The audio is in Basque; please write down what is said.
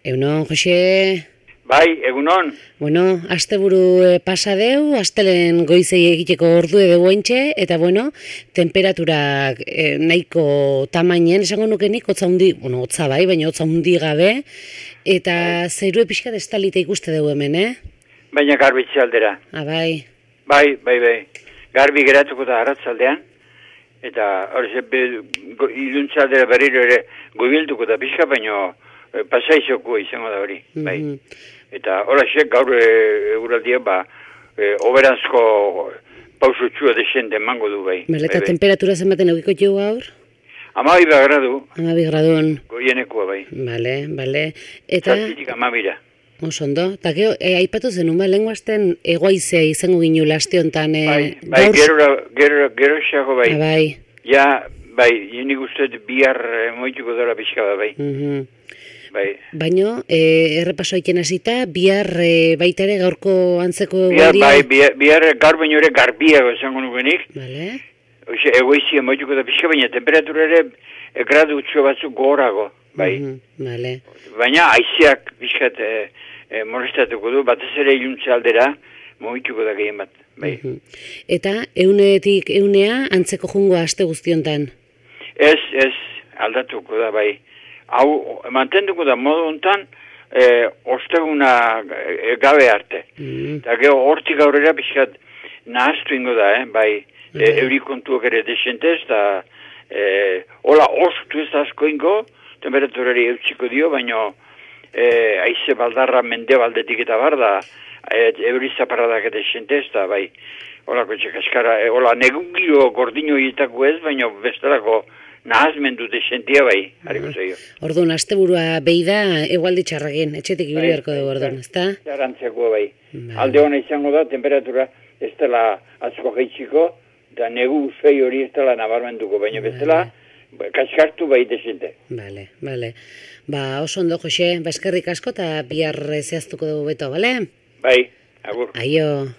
Egunon, Jose. Bai, egunon. Bueno, asteburu pasa deu, astelen goizei egiteko ordu edo guentxe, eta temperaturak nahiko tamainen, esango nukenik, hotza hundi, hotza bai, baina hotza hundi gabe, eta zeirue pixka destalita ikuste dugu hemen, Baina garbitze aldera. Bai. Bai. Garbi geratuko da arratzaldean, eta hori iluntza aldera berriro ere goibilduko da pixka, baina pasaizoko izango da hori, bai. Eta horrexek gaur eguraldia, oberanzko pausutxua desente emango du, bai. Eta temperatura zenbaten eukiko jo gaur? 12 gradu. 12 gradun. Goienekoa, bai. Bale. Eta... Zazpitik 12. Osondo. Eta aipatu zenun, lenguazten egoaizea izango ginu laste honetan... Bai, gero xago, bai. Bai. Ja, bai, nik uste bihar moituko dara pixka da, bai. Bai. Baina, errepaso aiken hasita, bihar baita ere gaurko antzeko egoeria? Bihar gaur baino ere garbiago esango nukenik. Bale. Oixe, egoizia moituko da pixka, baina temperatura ere gradu utxo batzuk gogorago, bai. Bale. Baina aizeak pixkat molestatuko du, batez ere iluntza aldera moituko da gehien bat, bai. Eta eunetik eunea antzeko jungoa aste guztiontan? Ez, aldatuko da, bai. Hau, mantenduko da modu hontan, osteguna gabe arte. Eta gero hortik aurrera pixkat nahaztu ingo da, bai, eurikontuak ere desentez, eta hola ostu ez asko ingo, temperaturari eutsiko dio, baina aize baldarra mende baldetik eta bar da, eurizaparradak desentez, eta bai, hola kotxe kaskara, hola negungiro gordino hietako ez, baina bestelako nahazmendu desentia bai, hariko zaio. Orduan, asteburua behi da, egualdi txarragin, etxetik ibili beharko dugu orduan, ezta? Txarrantzeko bai. Alde hona izango da, temperatura ez dela atzko jaitsiko, eta negu uzei hori ez dela nabarmenduko, baina bestela, kaskartu bai desente. Bale. Oso ondo, Jose, eskerrik asko, eta bihar zehaztuko dugu beto, bale? Bai, agur. Aio.